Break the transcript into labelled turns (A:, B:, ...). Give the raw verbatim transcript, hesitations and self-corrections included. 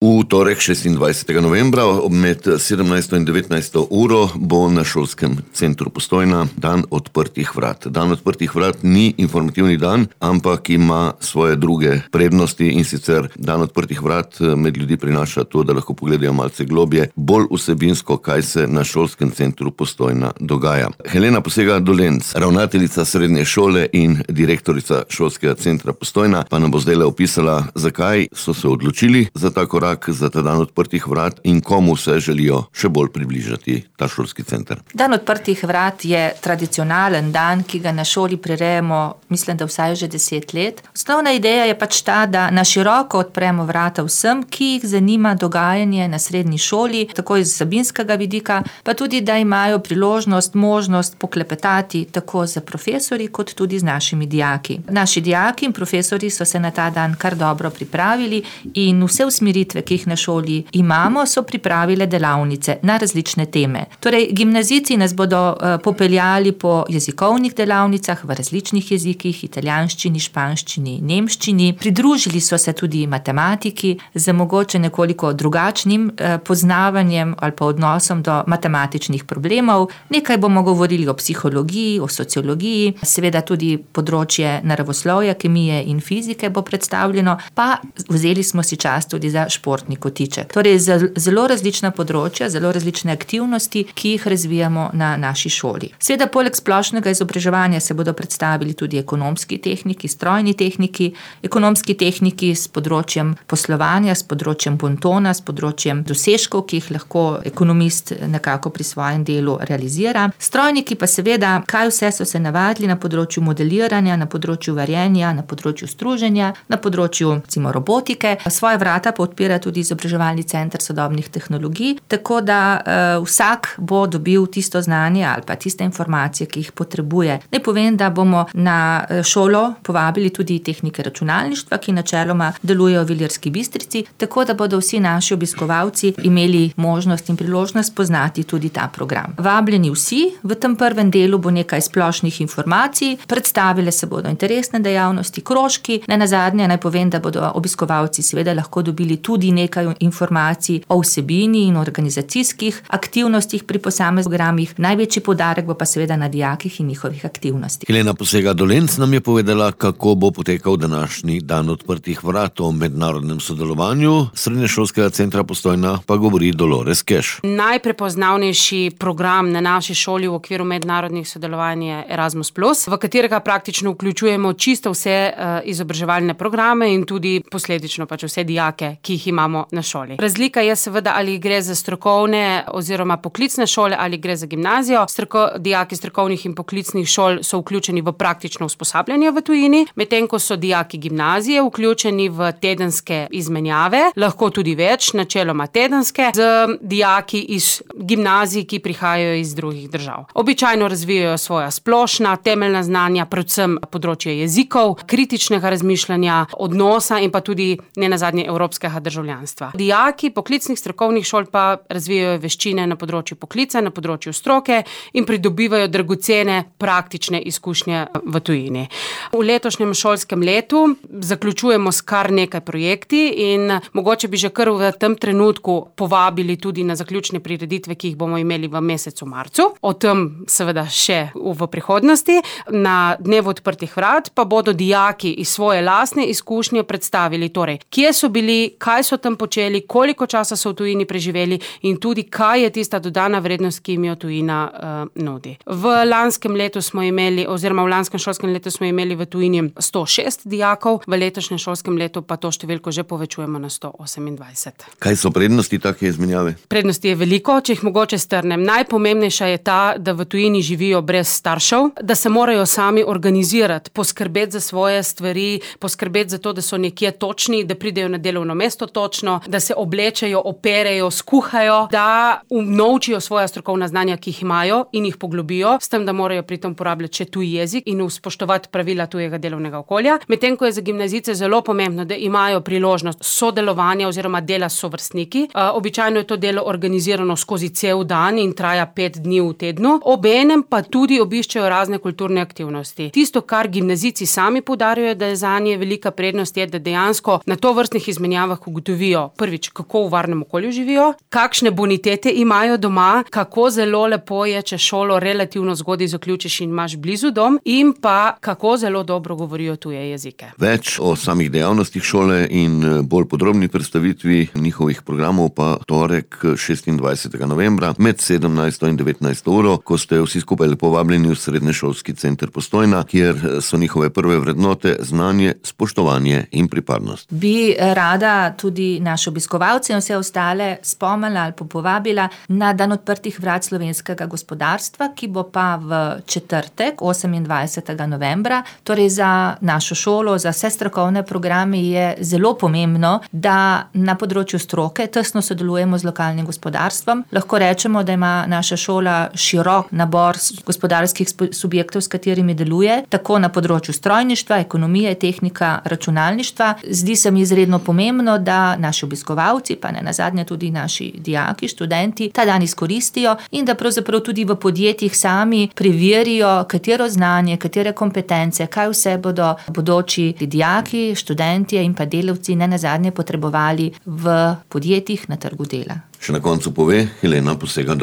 A: V torek šestindvajsetega novembra med sedemnajsto in devetnajsto uro bo na šolskem centru Postojna dan odprtih vrat. Dan odprtih vrat ni informativni dan, ampak ima svoje druge prednosti, in sicer dan odprtih vrat med ljudi prinaša to, da lahko pogledajo malce globje, bolj vsebinsko, kaj se na šolskem centru Postojna dogaja. Helena Posega-Dolenc, ravnateljica srednje šole in direktorica šolskega centra Postojna, pa nam bo zdaj opisala, zakaj so se odločili za ta korak, za ta dan odprtih vrat in komu se želijo še bolj približati ta šolski center.
B: Dan odprtih vrat je tradicionalen dan, ki ga na šoli prirejamo, mislim, da vsaj že deset let. Osnovna ideja je pač ta, da na široko odpremo vrata vsem, ki jih zanima dogajanje na srednji šoli, tako iz vsebinskega vidika, pa tudi, da imajo priložnost, možnost poklepetati tako z profesorji, kot tudi z našimi dijaki. Naši dijaki in profesori so se na ta dan kar dobro pripravili in vse usmeritve, ki jih na šoli imamo, so pripravile delavnice na različne teme. Torej, gimnazijci nas bodo uh, popeljali po jezikovnih delavnicah v različnih jezikih, italijanščini, španščini, nemščini. Pridružili so se tudi matematiki z mogoče nekoliko drugačnim uh, poznavanjem ali pa odnosom do matematičnih problemov. Nekaj bomo govorili o psihologiji, o sociologiji, seveda tudi področje naravoslovja, kemije in fizike bo predstavljeno, pa vzeli smo si čas tudi za športni kotiček. Torej, zelo različna področja, zelo različne aktivnosti, ki jih razvijamo na naši šoli. Seveda, poleg splošnega izobraževanja se bodo predstavili tudi ekonomski tehniki, strojni tehniki, ekonomski tehniki s področjem poslovanja, s področjem bontona, s področjem dosežkov, ki jih lahko ekonomist nekako pri svojem delu realizira. Strojniki pa seveda, kaj vse so se navadili na področju modeliranja, na področju varjenja, na področju struženja, na področju, recimo, robotike. Svoje vrata pa odpira tudi izobraževalni center sodobnih tehnologij, tako da uh, vsak bo dobil tisto znanje ali pa tiste informacije, ki jih potrebuje. Naj povem, da bomo na šolo povabili tudi tehnike računalništva, ki načeloma delujejo v Ilirski Bistrici, tako da bodo vsi naši obiskovalci imeli možnost in priložnost poznati tudi ta program. Vabljeni vsi, v tem prvem delu bo nekaj splošnih informacij, predstavile se bodo interesne dejavnosti, krožki, ne nazadnje naj povem, da bodo obiskovalci seveda lahko dobili tudi nekaj informacij o vsebini in organizacijskih aktivnostih pri posameznih programih. Največji poudarek bo pa seveda na dijakih in njihovih aktivnostih.
A: Helena Posega-Dolenc nam je povedala, kako bo potekal današnji dan odprtih vrat. O mednarodnem sodelovanju srednješolskega centra Postojna pa govori Dolores Keš.
C: Najprepoznavnejši program na naši šoli v okviru mednarodnih sodelovanj je Erasmus plus, v katerega praktično vključujemo čisto vse uh, izobraževalne programe in tudi posledično pač vse dijake, ki jih imamo na šoli. Razlika je seveda, ali gre za strokovne oziroma poklicne šole ali gre za gimnazijo. Stroko, dijaki strokovnih in poklicnih šol so vključeni v praktično usposabljanje v tujini, medtem ko so dijaki gimnazije vključeni v tedenske izmenjave, lahko tudi več, načeloma tedenske, z dijaki iz gimnazij, ki prihajajo iz drugih držav. Običajno razvijajo svoja splošna, temeljna znanja, predvsem področje jezikov, kritičnega razmišljanja, odnosa in pa tudi nenazadnje evropskega državljanstva. Dijaki poklicnih strokovnih šol pa razvijajo veščine na področju poklica, na področju stroke in pridobivajo dragocene praktične izkušnje v tujini. V letošnjem šolskem letu zaključujemo s kar nekaj projekti in mogoče bi že kar v tem trenutku povabili tudi na zaključne prireditve, ki jih bomo imeli v mesecu marcu. O tem seveda še v prihodnosti. Na dnevu odprtih vrat pa bodo dijaki iz svoje lastne izkušnje predstavili torej, kje so bili, kaj so tam počeli, koliko časa so v tujini preživeli in tudi kaj je tista dodana vrednost, ki jim jo tujina uh, nudi. V lanskem letu smo imeli, oziroma v lanskem šolskem letu smo imeli v tujini sto šest dijakov, v letošnjem šolskem letu pa to številko že povečujemo na sto osemindvajset.
A: Kaj so prednosti take izmenjave?
C: Prednosti je veliko, če jih mogoče strnem. Najpomembnejša je ta, da v tujini živijo brez staršev, da se morajo sami organizirati, poskrbeti za svoje stvari, poskrbeti za to, da so nekje točni, da pridejo na delovno mesto točno, da se oblečejo, operejo, skuhajo, da unovčijo svoja strokovna znanja, ki jih imajo in jih poglobijo, s tem, da morajo pri tem uporabljati še tuj jezik in spoštovati pravila tujega delovnega okolja. Medtem ko je za gimnazijce zelo pomembno, da imajo priložnost sodelovanja oziroma dela s sovrstniki. Uh, običajno je to delo organizirano skozi cel dan in traja pet dni v tednu. Obenem pa tudi obiščejo razne kulturne aktivnosti. Tisto, kar gimnazijci sami poudarjajo, da je zanje velika prednost, je, da dejansko na tovrstnih izmenjavah ugotovijo ugotovijo prvič, kako v varnem okolju živijo, kakšne bonitete imajo doma, kako zelo lepo je, če šolo relativno zgodaj zaključiš in imaš blizu dom, in pa kako zelo dobro govorijo tuje jezike.
A: Več o samih dejavnostih šole in bolj podrobni predstavitvi njihovih programov pa torek šestindvajsetega novembra med sedemnajsto in devetnajsto uro, ko ste vsi skupaj lepo vabljeni v Srednješolski center Postojna, kjer so njihove prve vrednote znanje, spoštovanje in pripadnost.
B: Bi rada tudi naše obiskovalce in vse ostale spomnila ali povabila na dan odprtih vrat slovenskega gospodarstva, ki bo pa v četrtek, osemindvajsetega novembra. Torej za našo šolo, za vse strokovne programe je zelo pomembno, da na področju stroke tesno sodelujemo z lokalnim gospodarstvom. Lahko rečemo, da ima naša šola širok nabor gospodarskih subjektov, s katerimi deluje, tako na področju strojništva, ekonomije, tehnika, računalništva. Zdi se mi izredno pomembno, da naši obiskovalci, pa ne nazadnje tudi naši dijaki, študenti, ta dan izkoristijo in da pravzaprav tudi v podjetjih sami preverijo, katero znanje, katere kompetence, kaj vse bodo bodoči dijaki, študentje in pa delavci ne nazadnje potrebovali v podjetjih na trgu dela.
A: Še na koncu pove Helena Posega-Dolenc.